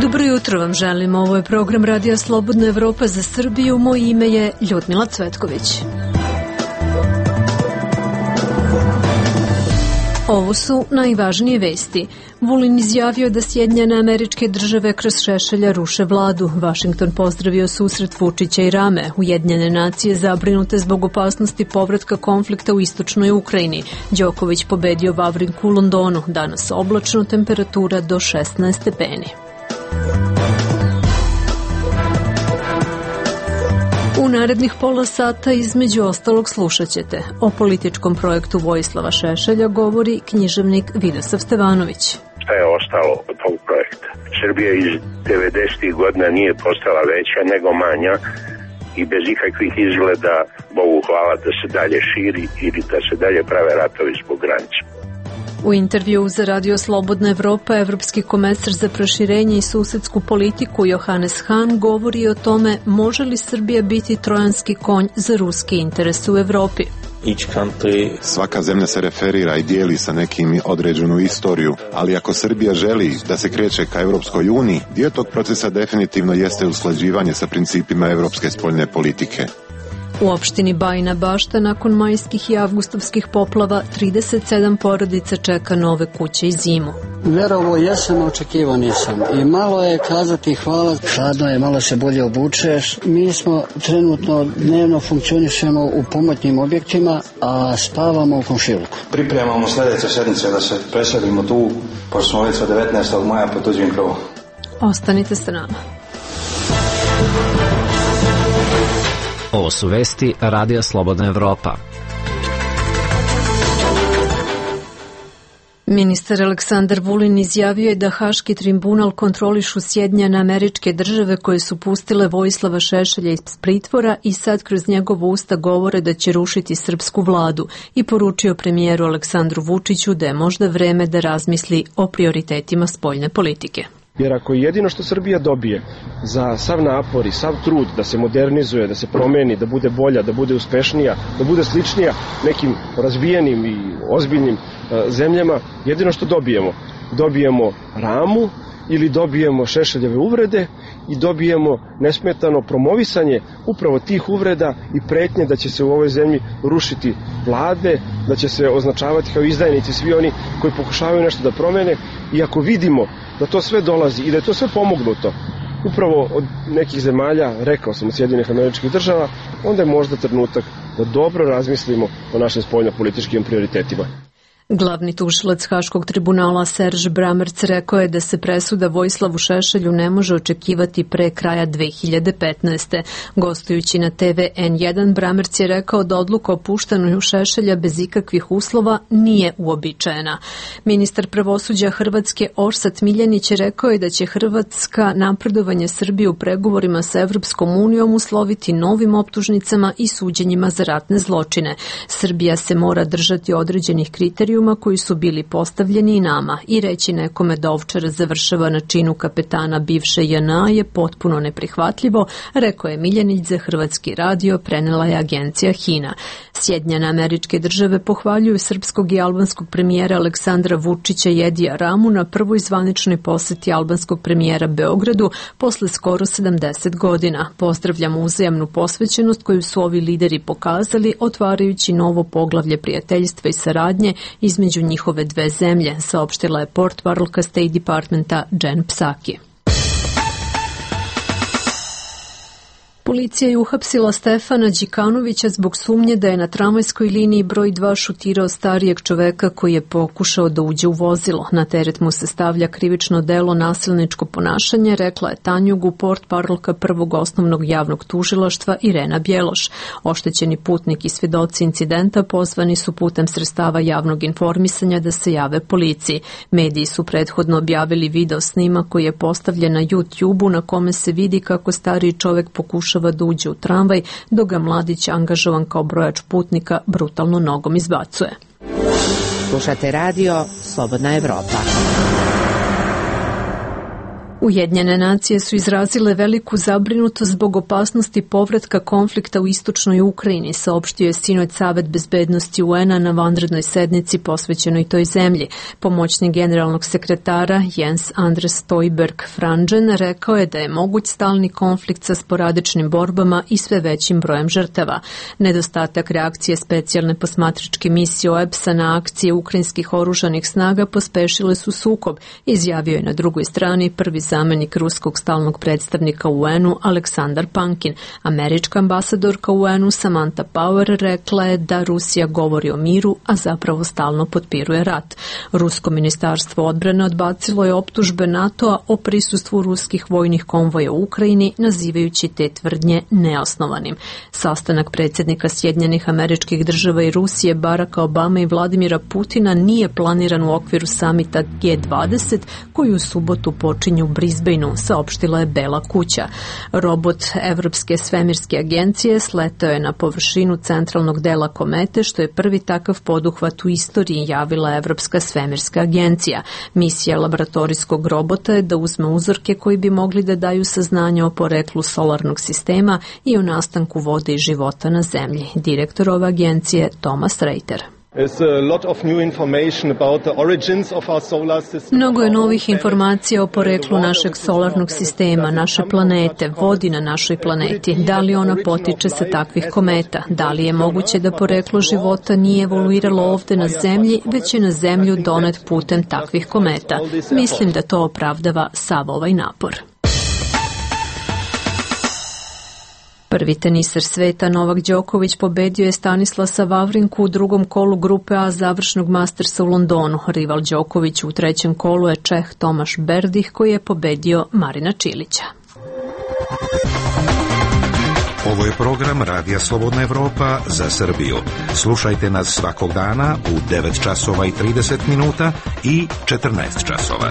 Dobro jutro vam želim. Ovo je program Radija Slobodna Evropa za Srbiju. Moje ime je Ljudmila Cvetković. Ovo su najvažnije vesti. Vulin izjavio da Sjedinjene Američke Države kroz Šešelja ruše vladu. Vašington pozdravio susret Vučića i Rame. Ujedinjene nacije zabrinute zbog opasnosti povratka konflikta u istočnoj Ukrajini. Đoković pobedio Vavrinku u Londonu. Danas oblačno, temperatura do 16 stepeni. U narednih pola sata između ostalog slušat ćete. O političkom projektu Vojislava Šešelja govori književnik Vidosav Stevanović. Šta je ostalo od tog projekta? Srbija iz 90. godina nije postala veća nego manja i bez ikakvih izgleda, Bogu hvala, da se dalje širi ili da se dalje prave ratovi zbog granica. U intervju za Radio Slobodna Evropa evropski komesar za proširenje i susedsku politiku Johannes Hahn govori o tome može li Srbija biti trojanski konj za ruski interes u Evropi. Svaka zemlja se referira i dijeli sa nekim određenu istoriju, ali ako Srbija želi da se kreće ka Evropskoj uniji, dio tog procesa definitivno jeste usklađivanje sa principima evropske spoljne politike. U opštini Bajina Bašta nakon majskih i avgustovskih poplava 37 porodica čeka nove kuće i zimu. Verovo jesam, očekivao nisam. I malo je kazati hvala, hladno je, malo se bolje obučeš. Mi smo trenutno dnevno funkcionišemo u pomoćnim objektima, a spavamo u komšiluku. Pripremamo sljedeće sedmice da se preselimo tu, pošto smo već od 19. maja pod tuđim krovom. Ostanite sa nama. Ovo su vesti Radija Slobodna Evropa. Ministar Aleksandar Vulin izjavio je da Haški tribunal kontrolišu Sjedinjene Američke Države koje su pustile Vojislava Šešelja iz pritvora i sad kroz njegovo usta govore da će rušiti srpsku vladu i poručio premijeru Aleksandru Vučiću da je možda vreme da razmisli o prioritetima spoljne politike. Jer ako jedino što Srbija dobije za sav napor i sav trud da se modernizuje, da se promeni, da bude bolja, da bude uspešnija, da bude sličnija nekim razvijenim i ozbiljnim zemljama, jedino što dobijemo Ramu ili dobijemo Šešeljeve uvrede i dobijemo nesmetano promovisanje upravo tih uvreda i pretnje da će se u ovoj zemlji rušiti vlade, da će se označavati kao izdajnici svi oni koji pokušavaju nešto da promene. I ako vidimo da to sve dolazi i da je to sve pomognuto upravo od nekih zemalja, rekao sam od Sjedinjenih Američkih Država, onda je možda trenutak da dobro razmislimo o našim spoljnopolitičkim prioritetima. Glavni tužilac Haškog tribunala Serž Bramerc rekao je da se presuda Vojislavu Šešelju ne može očekivati pre kraja 2015. Gostujući na TV N1, Bramerc je rekao da odluka o puštanju Šešelja bez ikakvih uslova nije uobičajena. Ministar pravosuđa Hrvatske Orsat Miljanić je rekao je da će Hrvatska napredovanje Srbije u pregovorima sa Evropskom unijom usloviti novim optužnicama i suđenjima za ratne zločine. Srbija se mora držati određenih kriterijuma koji su bili postavljeni i nama i reći nekome da Ovčar završava na činu kapetana bivše JNA je potpuno neprihvatljivo, rekao je Miljanić za Hrvatski radio, prenela je agencija HINA. Sjedinjene Američke Države pohvaljuju srpskog i albanskog premijera Aleksandra Vučića i Edija Ramu na prvoj zvaničnoj poseti albanskog premijera Beogradu posle skoro 70 godina. Pozdravljamo uzajamnu posvećenost koju su ovi lideri pokazali, otvarajući novo poglavlje prijateljstva i saradnje između njihove dve zemlje, saopštila je portparolka State Departmenta Jen Psaki. Policija je uhapsila Stefana Đikanovića zbog sumnje da je na tramvajskoj liniji broj 2 šutirao starijeg čoveka koji je pokušao da uđe u vozilo. Na teret mu se stavlja krivično delo nasilničko ponašanje, rekla je Tanjugu portparolka prvog osnovnog javnog tužilaštva Irena Bjeloš. Oštećeni putnik i svedoci incidenta pozvani su putem sredstava javnog informisanja da se jave policiji. Mediji su prethodno objavili video snimak koji je postavljen na YouTube-u na kome se vidi kako stariji čovek pokušava da uđe u tramvaj, dok ga mladić angažovan kao brojač putnika brutalno nogom izbacuje. Slušate radio Slobodna Evropa. Ujedinjene nacije su izrazile veliku zabrinutost zbog opasnosti povratka konflikta u istočnoj Ukrajini, saopštio je sinoć Savet bezbednosti UN-a na vanrednoj sednici posvećenoj toj zemlji. Pomoćnik generalnog sekretara Jens Andres Stoltenberg Franzen rekao je da je moguć stalni konflikt sa sporadičnim borbama i sve većim brojem žrtava. Nedostatak reakcije specijalne posmatračke misije OEBS-a na akcije ukrajinskih oružanih snaga pospešile su sukob, izjavio je na drugoj strani prvi zamenik ruskog stalnog predstavnika u UN-u Aleksandar Pankin. Američka ambasadorka u UN-u Samantha Power rekla je da Rusija govori o miru, a zapravo stalno potpiruje rat. Rusko ministarstvo odbrane odbacilo je optužbe NATO-a o prisustvu ruskih vojnih konvoja u Ukrajini, nazivajući te tvrdnje neosnovanim. Sastanak predsjednika Sjedinjenih Američkih Država i Rusije Baracka Obama i Vladimira Putina nije planiran u okviru samita G20 koji u subotu počinju u Brisbaneu, saopštila je Bela kuća. Robot Evropske svemirske agencije sletao je na površinu centralnog dela komete, što je prvi takav poduhvat u istoriji, javila Evropska svemirska agencija. Misija laboratorijskog robota je da uzme uzorke koji bi mogli da daju saznanje o poreklu solarnog sistema i o nastanku vode i života na zemlji. Direktor ove agencije Thomas Reiter. Mnogo je novih informacija o poreklu našeg solarnog sistema, naše planete, vodi na našoj planeti. Da li ona potiče sa takvih kometa? Da li je moguće da poreklo života nije evoluiralo ovde na Zemlji, već je na Zemlju donet putem takvih kometa? Mislim da to opravdava sav ovaj napor. Prvi teniser sveta Novak Đoković pobedio je Stanislasa Vavrinku u drugom kolu grupe A završnog Mastersa u Londonu. Rival Đoković u trećem kolu je Čeh Tomaš Berdih koji je pobedio Marina Čilića. Ovo je program Radija Slobodna Evropa za Srbiju. Slušajte nas svakog dana u 9 časova i 30 minuta i 14 časova.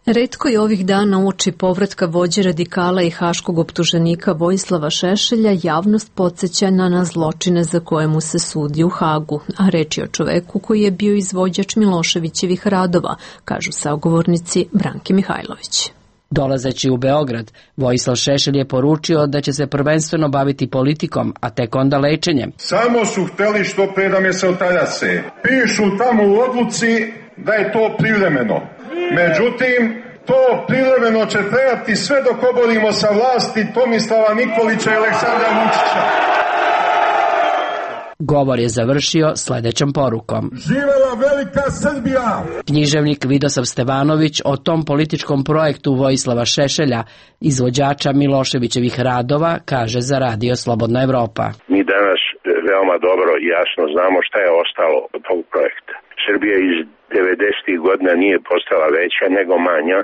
Retko je ovih dana uoči povratka vođe radikala i haškog optuženika Vojislava Šešelja javnost podsjeća na zločine za koje mu se sudi u Hagu, a reč je o čoveku koji je bio izvođač Miloševićevih radova, kažu sagovornici Branki Mihajlović. Dolazeći u Beograd, Vojislav Šešelj je poručio da će se prvenstveno baviti politikom, a tek onda lečenjem. Samo su hteli što pre da me se otaljase. Pišu tamo u odluci da je to privremeno. Međutim, to privremeno će trajati sve dok oborimo sa vlasti Tomislava Nikolića i Aleksandra Vučića. Govor je završio sledećom porukom. Živela velika Srbija! Književnik Vidosav Stevanović o tom političkom projektu Vojislava Šešelja, izvođača Miloševićevih radova, kaže za Radio Slobodna Evropa. Mi danas veoma dobro i jasno znamo šta je ostalo od tog projekta. Srbija iz 90. godina nije postala veća nego manja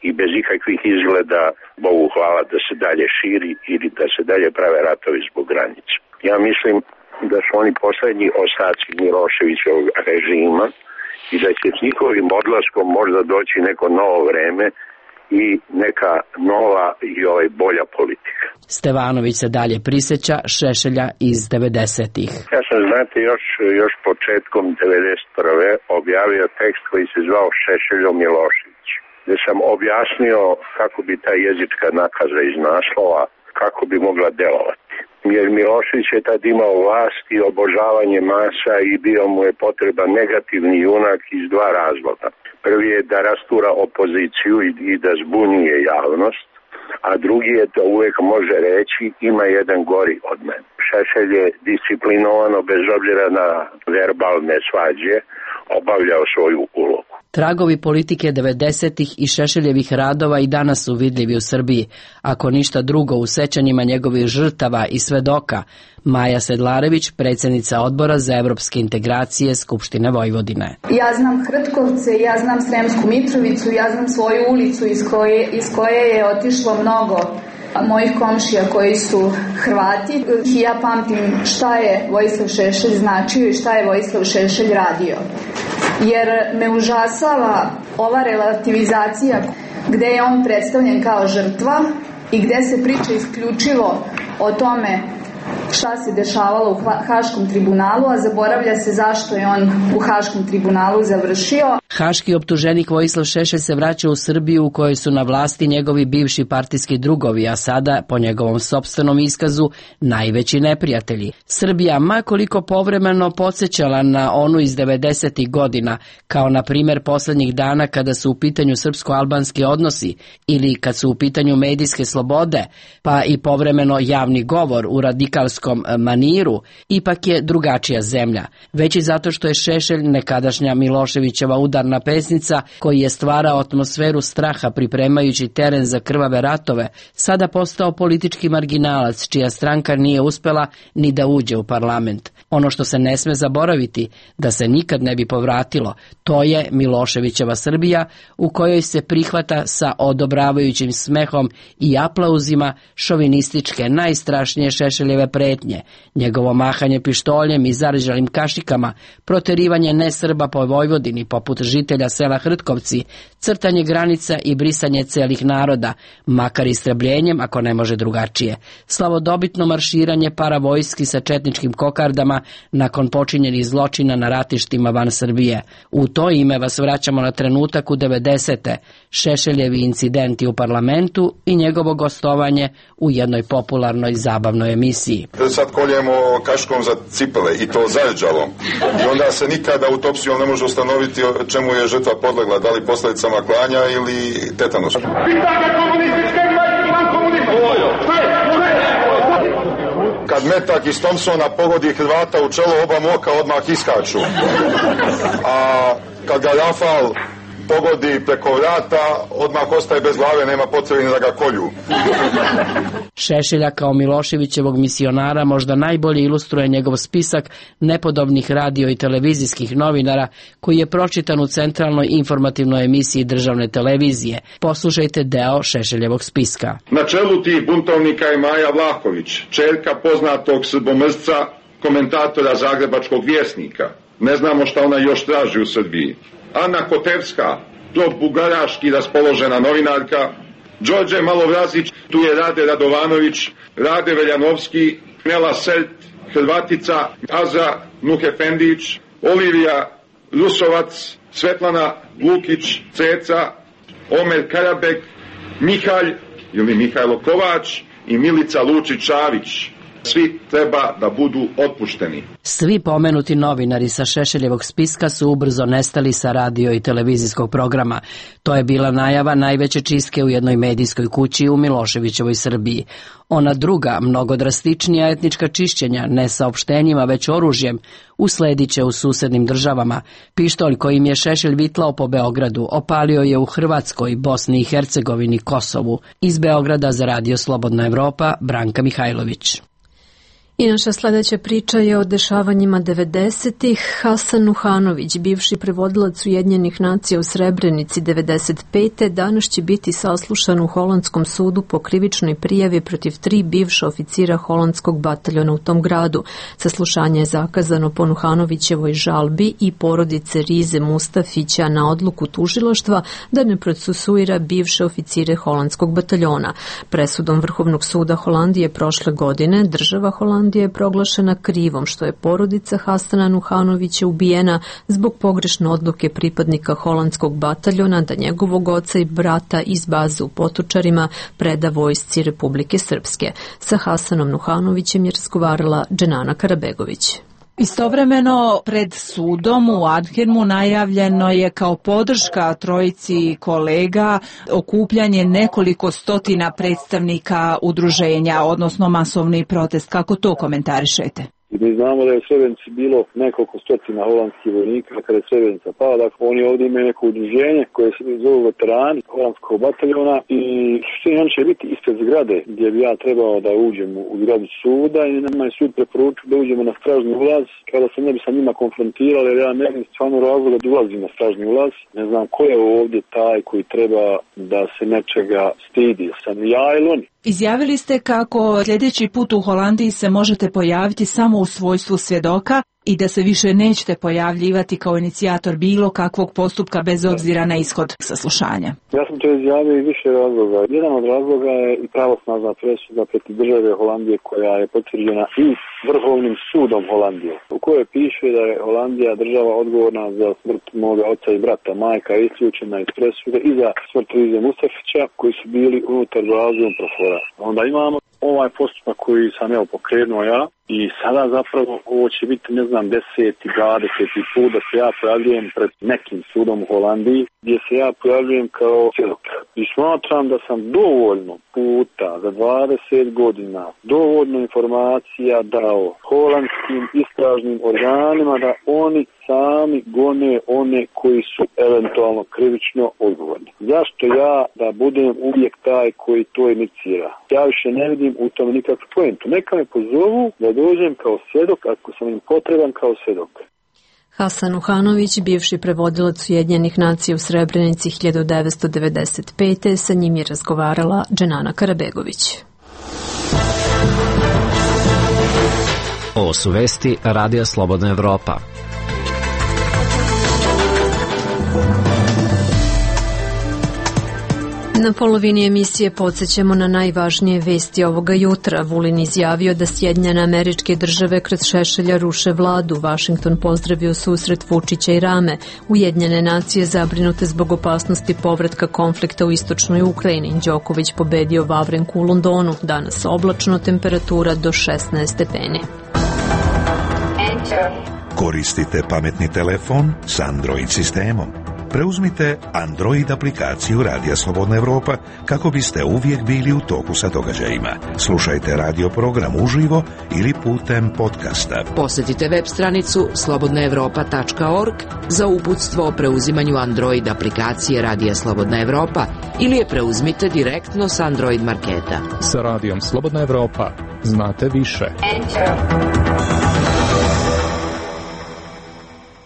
i bez ikakvih izgleda, Bogu hvala, da se dalje širi ili da se dalje prave ratovi zbog granica. Ja mislim da su oni poslednji ostaci Miloševićevog režima i da će s njihovim odlaskom možda doći neko novo vreme i neka nova i bolja politika. Stevanović se dalje prisjeća Šešelja iz 90-ih. Ja sam, znate, još početkom 91. objavio tekst koji se zvao Šešeljo Milošević, gde sam objasnio kako bi ta jezička nakaza iz naslova, kako bi mogla delovati. Jer Milošević je tad imao vlast i obožavanje masa i bio mu je potreban negativni junak iz dva razloga. Prvi je da rastura opoziciju i da zbunjuje javnost, a drugi je da uvek može reći ima jedan gori od mene. Šešelj je disciplinovano, bez obzira na verbalne svađe, obavljao svoju ulogu. Tragovi politike 90-ih i Šešeljevih radova i danas su vidljivi u Srbiji, ako ništa drugo u sećanjima njegovih žrtava i svedoka. Maja Sedlarević, predsjednica odbora za evropske integracije Skupštine Vojvodine. Ja znam Hrtkovce, ja znam Sremsku Mitrovicu, ja znam svoju ulicu iz koje je otišlo mnogo mojih komšija koji su Hrvati. Ja pamtim šta je Vojislav Šešelj značio i šta je Vojislav Šešelj radio. Jer me užasava ova relativizacija gde je on predstavljen kao žrtva i gde se priča isključivo o tome šta se dešavalo u Haškom tribunalu, a zaboravlja se zašto je on u Haškom tribunalu završio. Haški optuženik Vojislav Šešelj se vraća u Srbiju u kojoj su na vlasti njegovi bivši partijski drugovi, a sada, po njegovom sopstvenom iskazu, najveći neprijatelji. Srbija, ma koliko povremeno podsjećala na onu iz 90. godina, kao na primjer posljednjih dana kada su u pitanju srpsko-albanski odnosi ili kad su u pitanju medijske slobode, pa i povremeno javni govor u radikalskom maniru, ipak je drugačija zemlja. Već i zato što je Šešelj, nekadašnja Miloševićeva udarna pesnica, koji je stvarao atmosferu straha pripremajući teren za krvave ratove, sada postao politički marginalac čija stranka nije uspela ni da uđe u parlament. Ono što se ne sme zaboraviti, da se nikad ne bi povratilo, to je Miloševićeva Srbija u kojoj se prihvata sa odobravajućim smehom i aplauzima šovinističke najstrašnije Šešeljeve pretnje, njegovo mahanje pištoljem i zarđalim kašikama, proterivanje nesrba po Vojvodini poput žitelja sela Hrtkovci, crtanje granica i brisanje celih naroda, makar istrebljenjem ako ne može drugačije, slavodobitno marširanje paravojski sa četničkim kokardama nakon počinjenih zločina na ratištima van Srbije. U to ime vas vraćamo na trenutak u 90. Šešeljevi incidenti u parlamentu i njegovo gostovanje u jednoj popularnoj zabavnoj emisiji. Sad koljemo kaškom za cipele i to zarđalo. I onda se nikada autopsijom ne može ustanoviti čemu je žrtva podlegla, da li posljedicama klanja ili tetanusa. Kad metak iz Thompsona pogodi Hrvata u čelo, oba oka odmah iskaču. A kad ga Rafal pogodi preko vrata, odmah ostaje bez glave, nema potrebe ni da ga kolju. Šešelja kao Miloševićevog misionara možda najbolje ilustruje njegov spisak nepodobnih radio i televizijskih novinara koji je pročitan u centralnoj informativnoj emisiji državne televizije. Poslušajte deo Šešeljevog spiska. Na čelu tih buntovnika je Maja Vlahović, čerka poznatog srbomrzca, komentatora Zagrebačkog vjesnika. Ne znamo šta ona još traži u Srbiji. Ana Kotevska, pro-bugaraški raspoložena novinarka, Đorđe Malovrazić, tu je Rade Radovanović, Rade Veljanovski, Nela Selt, Hrvatica, Azra Nuhefendić, Olivija Rusovac, Svetlana Lukić, Ceca, Omer Karabek, Mihalj ili Mihajlo Kovač i Milica Lučić-Šavić. Svi treba da budu otpušteni. Svi pomenuti novinari sa Šešeljevog spiska su ubrzo nestali sa radio i televizijskog programa. To je bila najava najveće čistke u jednoj medijskoj kući u Miloševićevoj Srbiji. Ona druga, mnogo drastičnija etnička čišćenja, ne saopštenjima već oružjem, usledit će u susednim državama. Pištolj kojim je Šešelj vitlao po Beogradu opalio je u Hrvatskoj, Bosni i Hercegovini, Kosovu. Iz Beograda za Radio Slobodna Evropa, Branka Mihajlović. I naša sljedeća priča je o dešavanjima 90-ih. Hasan Nuhanović, bivši prevodilac Ujedinjenih nacija u Srebrenici 95. danas će biti saslušan u holandskom sudu po krivičnoj prijavi protiv 3 bivša oficira holandskog bataljona u tom gradu. Saslušanje je zakazano po Nuhanovićevoj žalbi i porodice Rize Mustafića na odluku tužilaštva da ne procesuira bivše oficire holandskog bataljona. Presudom Vrhovnog suda Holandije prošle godine država Holandije je proglašena krivom što je porodica Hasana Nuhanovića ubijena zbog pogrešne odluke pripadnika holandskog bataljona da njegovog oca i brata iz baze u Potočarima preda vojsci Republike Srpske. Sa Hasanom Nuhanovićem je razgovarala Dženana Karabegović. Istovremeno pred sudom u Arnhemu najavljeno je kao podrška trojici kolega okupljanje nekoliko stotina predstavnika udruženja, odnosno masovni protest. Kako to komentarišete? Mi znamo da je u Srebrenici bilo nekoliko stotina holandskih vojnika kada je Srebrenica pala. Dakle, oni ovdje imaju neko udruženje koje se zove veterani holandskog bataljona i on će biti ispred zgrade gdje bi ja trebao da uđem u zgradu suda i nama je sud preporučio da uđemo na stražni ulaz kada se ne bi sa njima konfrontirali jer ja ne znam stvarno razloga da ulazim na stražni ulaz. Ne znam ko je ovdje taj koji treba da se nečega stidi. Sam ja ili oni. Izjavili ste kako sljedeći put u Holandiji se možete pojaviti samo u svojstvu svjedoka, i da se više nećete pojavljivati kao inicijator bilo kakvog postupka bez obzira na ishod saslušanja? Ja sam to izjavio iz više razloga. Jedan od razloga je i pravosnažna presuda protiv države Holandije koja je potvrđena i Vrhovnim sudom Holandije, u kojoj piše da je Holandija država odgovorna za smrt moga oca i brata. Majka je isključena iz presude i za smrt Rize Mustafića koji su bili unutar razvoja profora. Onda imamo ovaj postupak koji sam pokrenuo ja i sada zapravo ovo će biti 10. 20. put da se ja pojavljujem pred nekim sudom u Holandiji gdje se ja pojavljujem kao svjedok. I smatram da sam dovoljno puta za 20 godina dovoljno informacija dao holandskim istražnim organima da oni sami gone one koji su eventualno krivično odgovorni. Zašto ja da budem uvijek taj koji to inicira? Ja više ne vidim u tome nikakvu poentu. Neka me pozovu da dođem kao svjedok ako sam im potreban kao svjedok. Hasan Uhanović, bivši prevodilac Ujedinjenih nacija u Srebrenici 1995. Sa njim je razgovarala Dženana Karabegović. Ovo su vesti Radija Slobodna Evropa. Na polovini emisije podsjećamo na najvažnije vesti ovoga jutra. Vulin izjavio da Sjedinjene Američke Države kroz Šešelja ruše vladu. Vašington pozdravio susret Vučića i Rame. Ujedinjene nacije zabrinute zbog opasnosti povratka konflikta u istočnoj Ukrajini. Đoković pobedio Vavrenku u Londonu. Danas oblačno, temperatura do 16 stepeni. Koristite pametni telefon s Android sistemom. Preuzmite Android aplikaciju Radija Slobodna Evropa kako biste uvijek bili u toku sa događajima. Slušajte radio program uživo ili putem podcasta. Posjetite web stranicu slobodnaevropa.org za uputstvo o preuzimanju Android aplikacije Radija Slobodna Evropa ili je preuzmite direktno s Android marketa. Sa Radijom Slobodna Evropa znate više.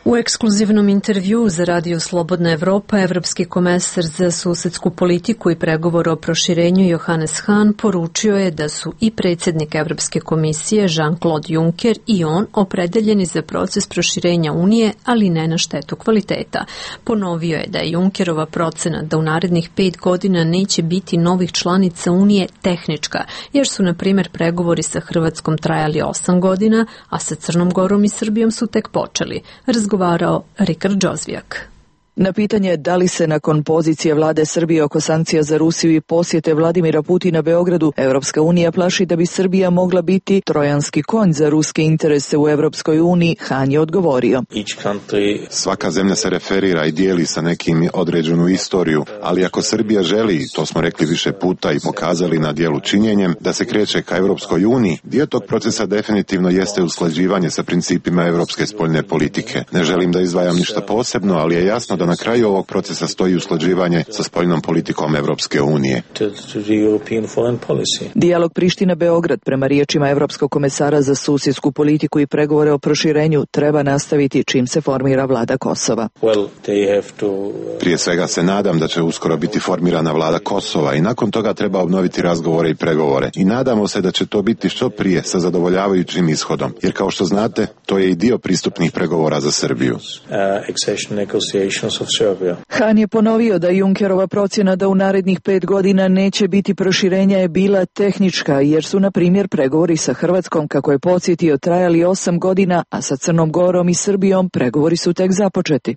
U ekskluzivnom intervjuu za Radio Slobodna Evropa evropski komesar za susedsku politiku i pregovor o proširenju Johannes Hahn poručio je da su i predsjednik Evropske komisije Jean-Claude Juncker i on opredeljeni za proces proširenja Unije, ali ne na štetu kvaliteta. Ponovio je da je Junckerova procena da u narednih 5 godina neće biti novih članica Unije tehnička, jer su, na primjer, pregovori sa Hrvatskom trajali 8 godina, a sa Crnom Gorom i Srbijom su tek počeli. Razgovarao Rikard Đozvijak. Na pitanje da li se nakon pozicije vlade Srbije oko sankcija za Rusiju i posjete Vladimira Putina Beogradu, Evropska unija plaši da bi Srbija mogla biti trojanski konj za ruske interese u Evropskoj uniji, Hahn je odgovorio. Svaka zemlja se referira i dijeli sa nekim određenu istoriju, ali ako Srbija želi, to smo rekli više puta i pokazali na dijelu činjenjem, da se kreće ka Evropskoj uniji, dio tog procesa definitivno jeste usklađivanje sa principima evropske spoljne politike. Ne želim da izdvajam ništa posebno, ali je jasno da na kraju ovog procesa stoji usklađivanje sa spoljnom politikom Evropske unije. Dijalog Priština-Beograd, prema riječima Evropskog komesara za susjedsku politiku i pregovore o proširenju, treba nastaviti čim se formira vlada Kosova. Prije svega se nadam da će uskoro biti formirana vlada Kosova i nakon toga treba obnoviti razgovore i pregovore. I nadamo se da će to biti što prije sa zadovoljavajućim ishodom, jer kao što znate, to je i dio pristupnih pregovora za Srbiju. Hahn je ponovio da Junckerova procjena da u narednih 5 godina neće biti proširenja je bila tehnička, jer su, na primjer, pregovori sa Hrvatskom, kako je podsjetio, trajali 8 godina, a sa Crnom Gorom i Srbijom pregovori su tek započeti.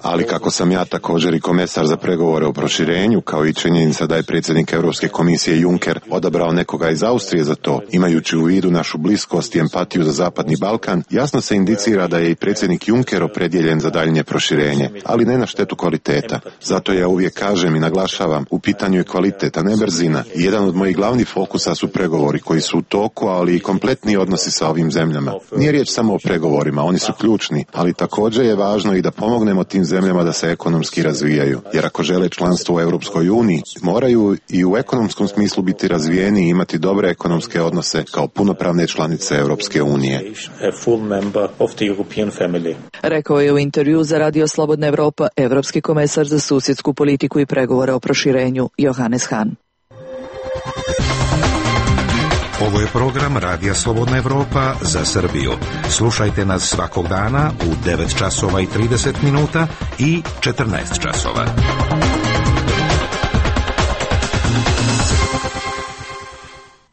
Ali kako sam ja također i komesar za pregovore o proširenju, kao i činjenica da je predsjednik Europske komisije Juncker odabrao nekoga iz Austrije za to, imajući u vidu našu bliskost i empatiju za Zapadni Balkan, jasno se indicira da je i predsjednik Juncker opredjeljen za daljnje proširenje, ali ne na štetu kvaliteta. Zato ja uvijek kažem i naglašavam, u pitanju je kvalitet, a ne brzina. I jedan od mojih glavnih fokusa su pregovori koji su u toku, ali i kompletni odnosi sa ovim zemljama. Nije riječ samo o pregovorima, oni su ključni, ali također je važno i da pomognemo tim zemljama da se ekonomski razvijaju. Jer ako žele članstvo u Europskoj uniji, moraju i u ekonomskom smislu biti razvijeni i imati dobre ekonomske odnose kao punopravne članice Europske unije. Rekao je u intervju za Radio Slobodna Evropa evropski komesar za susjedsku politiku i pregovore o proširenju Johannes Hahn. Ovo je program Radija Slobodna Evropa za Srbiju. Slušajte nas svakog dana u 9 časova i 30 minuta i 14 časova.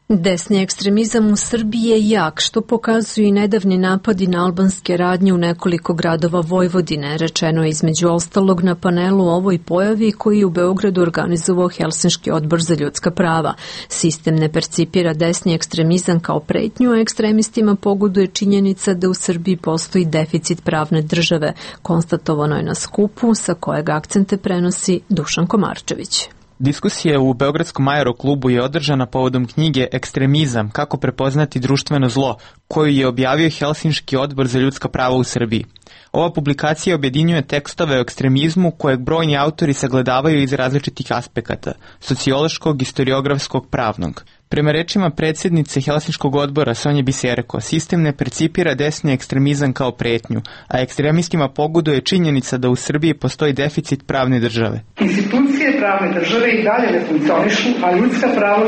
Desni ekstremizam u Srbiji je jak, što pokazuju i nedavni napadi na albanske radnje u nekoliko gradova Vojvodine, rečeno je između ostalog na panelu o ovoj pojavi koji je u Beogradu organizovao Helsinški odbor za ljudska prava. Sistem ne percipira desni ekstremizam kao pretnju, a ekstremistima pogoduje činjenica da u Srbiji postoji deficit pravne države, konstatovano je na skupu sa kojeg akcente prenosi Dušan Komarčević. Diskusija u Beogradskom aeroklubu je održana povodom knjige Ekstremizam, kako prepoznati društveno zlo, koju je objavio Helsinški odbor za ljudska prava u Srbiji. Ova publikacija objedinjuje tekstove o ekstremizmu kojeg brojni autori sagledavaju iz različitih aspekata, sociološkog, historiografskog, pravnog. Prema rečima predsjednice Helsinškog odbora Sonje Biserko, sistem ne percipira desni ekstremizam kao pretnju, a ekstremistima pogoduje činjenica da u Srbiji postoji deficit pravne države. Institucije pravne države i dalje ne funkcionišu, a ljudska prava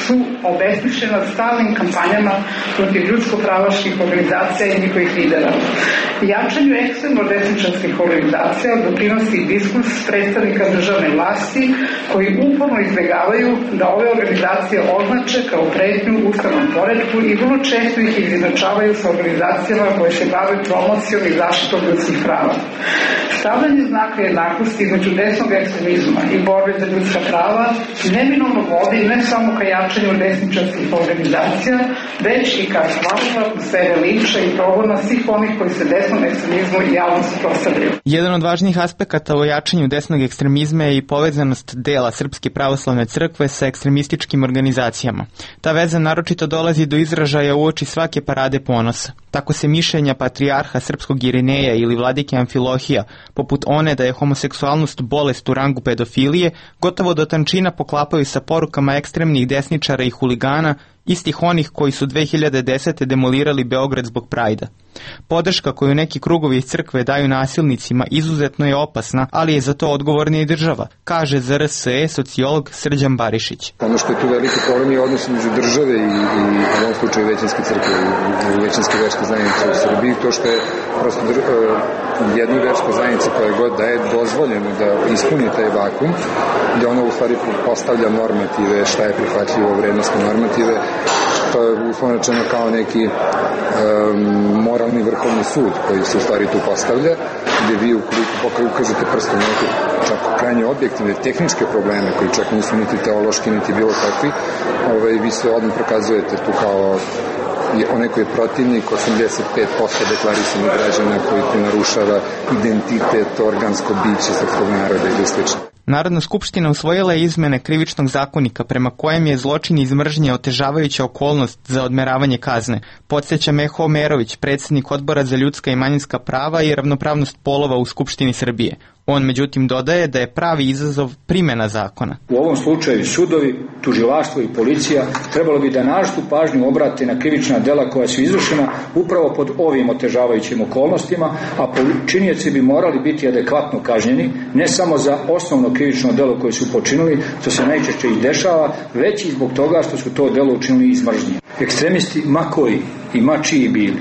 su obesmišljena stalnim kampanjama protiv ljudsko-pravaških organizacija i njihovih lidera. Jačanju ekstremno desničarskih organizacija doprinosi diskurs predstavnika državne vlasti koji uporno izbjegavaju da ove organizacije označe kao pretnju ustavnom poretku i vrlo često ih izjednačavaju sa organizacijama koje se bave promocijom i zaštitom ljudskih prava. Stavljanje znaka jednakosti između desnog ekstremizma i borbe za ljudska prava neminovno vodi ne samo ka jačanju desničarskih organizacija, već i ka stvaranju atmosfere linča i progona svih onih koji se desnom ekstremizmu i javno suprotstavljaju. Jedan od važnijih aspekata o jačanju desnog ekstremizma je i povezanost dela Srpske pravoslavne crkve sa ekstremističkim organizacijama. Ta veza naročito dolazi do izražaja uoči svake parade ponosa. Tako se mišljenja patrijarha srpskog Irineja ili vladike Amfilohija, poput one da je homoseksualnost bolest u rangu pedofilije, gotovo do tančina poklapaju sa porukama ekstremnih desničara i huligana, istih onih koji su 2010. demolirali Beograd zbog Prajda. Podrška koju neki krugovi iz crkve daju nasilnicima izuzetno je opasna, ali je za to odgovorna i država, kaže za RSE sociolog Srđan Barišić. Ono što je tu veliki problem je odnos između države i u ovom slučaju većinske crkve, većinske verske zajednice u Srbiji, to što je prosto jednoj verskoj zajednici koja god da je dozvoljeno da ispuni taj vakum, gde ono u stvari postavlja normative, šta je prihvatljivo, vrednostne normative, to je uslovno rečeno kao neki moralni vrhovni sud koji se u stvari tu postavlja, gde vi ukoliko ukažete prstom neke čak krajnje objektivne tehničke probleme koji čak nisu niti teološki niti bilo kakvi, vi se odmah prokazujete tu kao onaj koji je protivnik 85% deklarisanih građana koji tu narušava identitet, organsko biće srpskog naroda ili slično. Narodna skupština usvojila je izmene krivičnog zakonika prema kojem je zločin iz mržnje otežavajuća okolnost za odmeravanje kazne, podsjeća Meho Omerović, predsjednik Odbora za ljudska i manjinska prava i ravnopravnost polova u Skupštini Srbije. On međutim dodaje da je pravi izazov primjena zakona. U ovom slučaju sudovi, tužilaštvo i policija trebalo bi da naročitu pažnju obrate na krivična dela koja su izvršena upravo pod ovim otežavajućim okolnostima, a počinioci bi morali biti adekvatno kažnjeni, ne samo za osnovno krivično delo koje su počinili, što se najčešće i dešava, već i zbog toga što su to delo učinili iz mržnje. Ekstremisti, ma koji i ma čiji bili,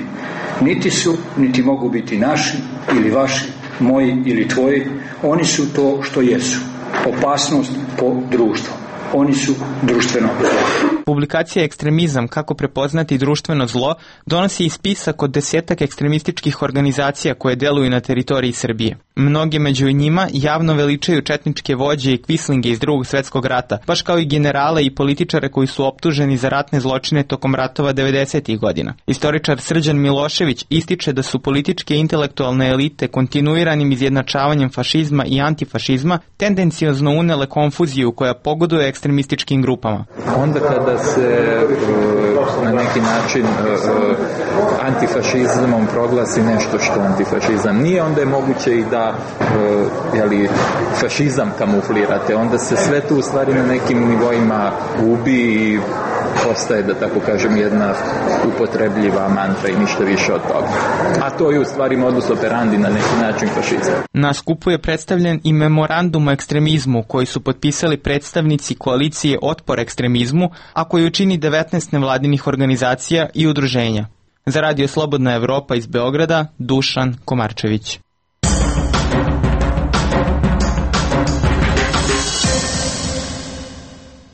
niti su, niti mogu biti naši ili vaši, moji ili tvoji, oni su to što jesu. Opasnost po društvu. Oni su društveno zlo. Publikacija Ekstremizam, kako prepoznati društveno zlo, donosi i spisak od 10 ekstremističkih organizacija koje deluju na teritoriji Srbije. Mnoge među njima javno veličaju četničke vođe i kvislinge iz Drugog svjetskog rata, baš kao i generale i političare koji su optuženi za ratne zločine tokom ratova 90. godina. Istoričar Srđan Milošević ističe da su političke i intelektualne elite kontinuiranim izjednačavanjem fašizma i antifašizma tendenciozno unele konfuziju koja pogoduje ekstremističkim grupama. Onda kada se na neki način antifašizmom proglasi nešto što antifašizam nije, onda je moguće i da fašizam kamuflirate. Onda se sve tu u stvari na nekim nivoima gubi i postaje, da tako kažem, jedna upotrebljiva mantra i ništa više od toga. A to je u stvari modus operandi na neki način fašizma. Na skupu je predstavljen i memorandum o ekstremizmu koji su potpisali predstavnici koalicije Otpor ekstremizmu, a koju čini 19 nevladinih organizacija i udruženja. Za Radio Slobodna Evropa iz Beograda, Dušan Komarčević.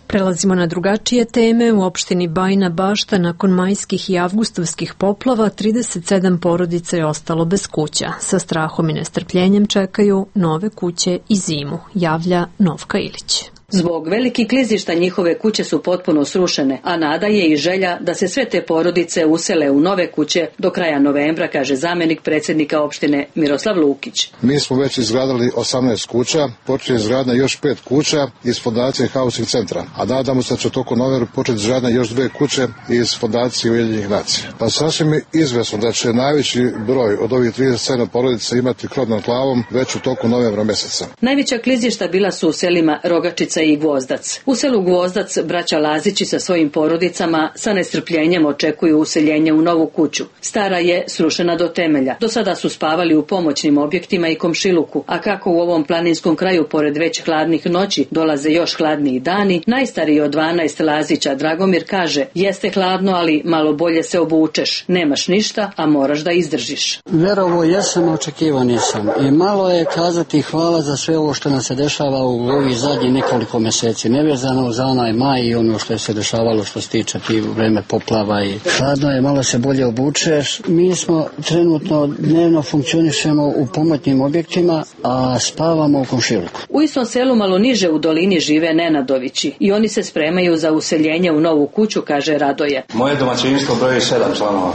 Prelazimo na drugačije teme. U opštini Bajina Bašta nakon majskih i avgustovskih poplava 37 porodica je ostalo bez kuća. Sa strahom i nestrpljenjem čekaju nove kuće i zimu, javlja Novka Ilić. Zbog velikih klizišta njihove kuće su potpuno srušene, a nada je i želja da se sve te porodice usele u nove kuće do kraja novembra, kaže zamenik predsjednika opštine Miroslav Lukić. Mi smo već izgradili 18 kuća, počeli izgradnja još 5 kuća iz fondacije Housing centra, a nadamo se da će tokom novembra početi izgradnja još 2 kuće iz fondacije Ujedinjenih nacija. Pa sasvim je izvesno da će najveći broj od ovih 37 porodica imati krov nad glavom već u toku novembra mjeseca. Najveća klizišta bila su u selima Rogačica i Gvozdac. U selu Gvozdac braća Lazići sa svojim porodicama sa nestrpljenjem očekuju useljenje u novu kuću. Stara je srušena do temelja. Do sada su spavali u pomoćnim objektima i komšiluku, a kako u ovom planinskom kraju pored već hladnih noći dolaze još hladniji dani, najstariji od 12 Lazića Dragomir kaže: jeste hladno, ali malo bolje se obučeš. Nemaš ništa, a moraš da izdržiš. Verovo jesam, očekivao nisam. I malo je kazati hvala za sve ovo što nam se dešava u ovih zadnjih nekoliko mjeseci, nevezano za onaj maj i ono što je se dešavalo što se tiče tih vreme poplava i hladno je, malo se bolje obučeš. Mi smo trenutno dnevno funkcionišemo u pomoćnim objektima, a spavamo u komšiluku. U istom selu malo niže u dolini žive Nenadovići i oni se spremaju za useljenje u novu kuću, kaže Radoje. Moje domaćinstvo broji 7 članova.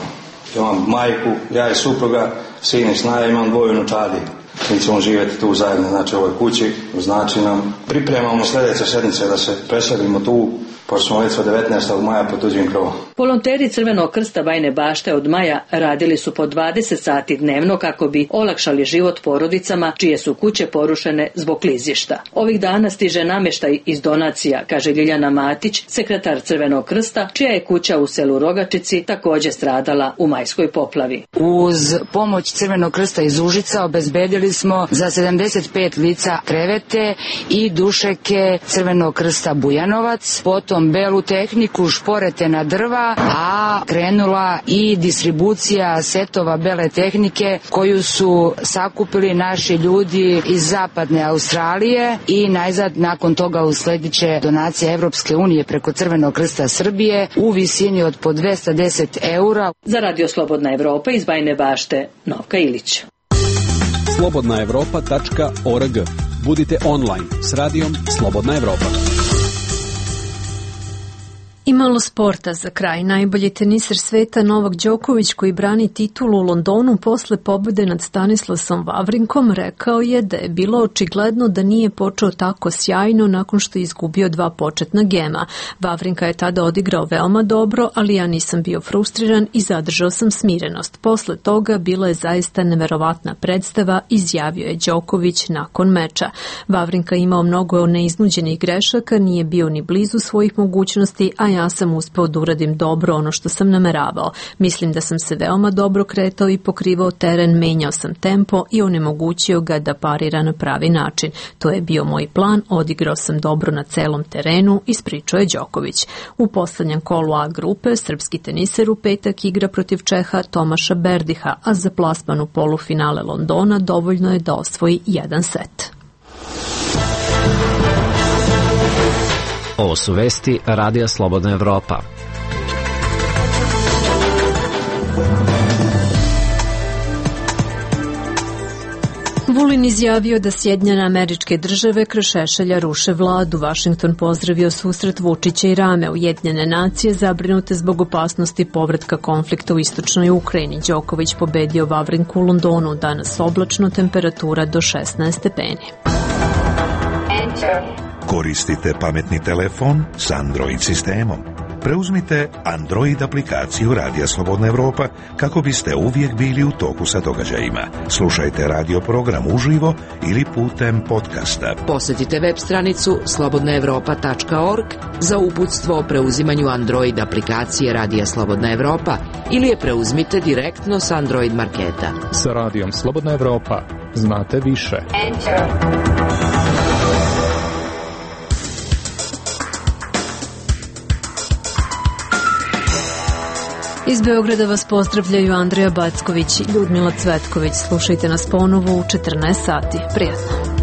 Imam majku, ja i supruga, sin i snaja, imam 2 unučadi. Mi ćemo živjeti tu zajedno, znači u ovoj kući, znači nam pripremamo sljedeće sedmice da se preselimo tu, pošto smo već od 19. maja pod tuđim krovom. Volonteri Crvenog krsta Bajine Bašte od maja radili su po 20 sati dnevno kako bi olakšali život porodicama čije su kuće porušene zbog klizišta. Ovih dana stiže namještaj iz donacija, kaže Ljiljana Matić, sekretar Crvenog krsta, čija je kuća u selu Rogačici također stradala u majskoj poplavi. Uz pomoć Crvenog krsta iz Užica obezbedili smo za 75 lica krevete i dušeke Crvenog krsta Bujanovac, potom belu tehniku, šporete na drva, a krenula i distribucija setova bele tehnike koju su sakupili naši ljudi iz zapadne Australije i najzad nakon toga uslediće donacija Evropske unije preko Crvenog krsta Srbije u visini od po 210 eura. Za Radio Slobodna Evropa iz Bajine Bašte, Novka Ilić. slobodnaevropa.org. Budite online s radijom Slobodna Evropa. I malo sporta za kraj. Najbolji teniser sveta Novak Đoković, koji brani titulu u Londonu posle pobjede nad Stanislasom Wawrinkom, rekao je da je bilo očigledno da nije počeo tako sjajno nakon što je izgubio 2 početna gema. Wawrinka je tada odigrao veoma dobro, ali ja nisam bio frustriran i zadržao sam smirenost. Posle toga bila je zaista neverovatna predstava, izjavio je Đoković nakon meča. Wawrinka imao mnogo neiznuđenih grešaka, nije bio ni blizu svojih mogućnosti, a ja sam uspeo da uradim dobro ono što sam nameravao. Mislim da sam se veoma dobro kretao i pokrivao teren, menjao sam tempo i onemogućio ga da parira na pravi način. To je bio moj plan, odigrao sam dobro na celom terenu, ispričao je Đoković. U poslednjem kolu A grupe srpski teniser u petak igra protiv Čeha Tomaša Berdiha, a za plasman u polufinale Londona dovoljno je da osvoji 1 set. Ovo su vesti Radija Slobodna Evropa. Vulin izjavio da Sjedinjene Američke Države kroz Šešelja ruše vladu. Vašington pozdravio susret Vučića i Rame. Ujedinjene nacije zabrinute zbog opasnosti povratka konflikta u istočnoj Ukrajini. Đoković pobedio Vavrinku u Londonu. Danas oblačno, temperatura do 16 stepeni. Koristite pametni telefon s Android sistemom. Preuzmite Android aplikaciju Radija Slobodna Evropa kako biste uvijek bili u toku sa događajima. Slušajte radio program uživo ili putem podcasta. Posjetite web stranicu slobodnaevropa.org za uputstvo o preuzimanju Android aplikacije Radija Slobodna Evropa ili je preuzmite direktno s Android marketa. Sa Radijom Slobodna Evropa znate više. Iz Beograda vas pozdravljaju Andreja Backović i Ljudmila Cvetković. Slušajte nas ponovo u 14 sati. Prijatno.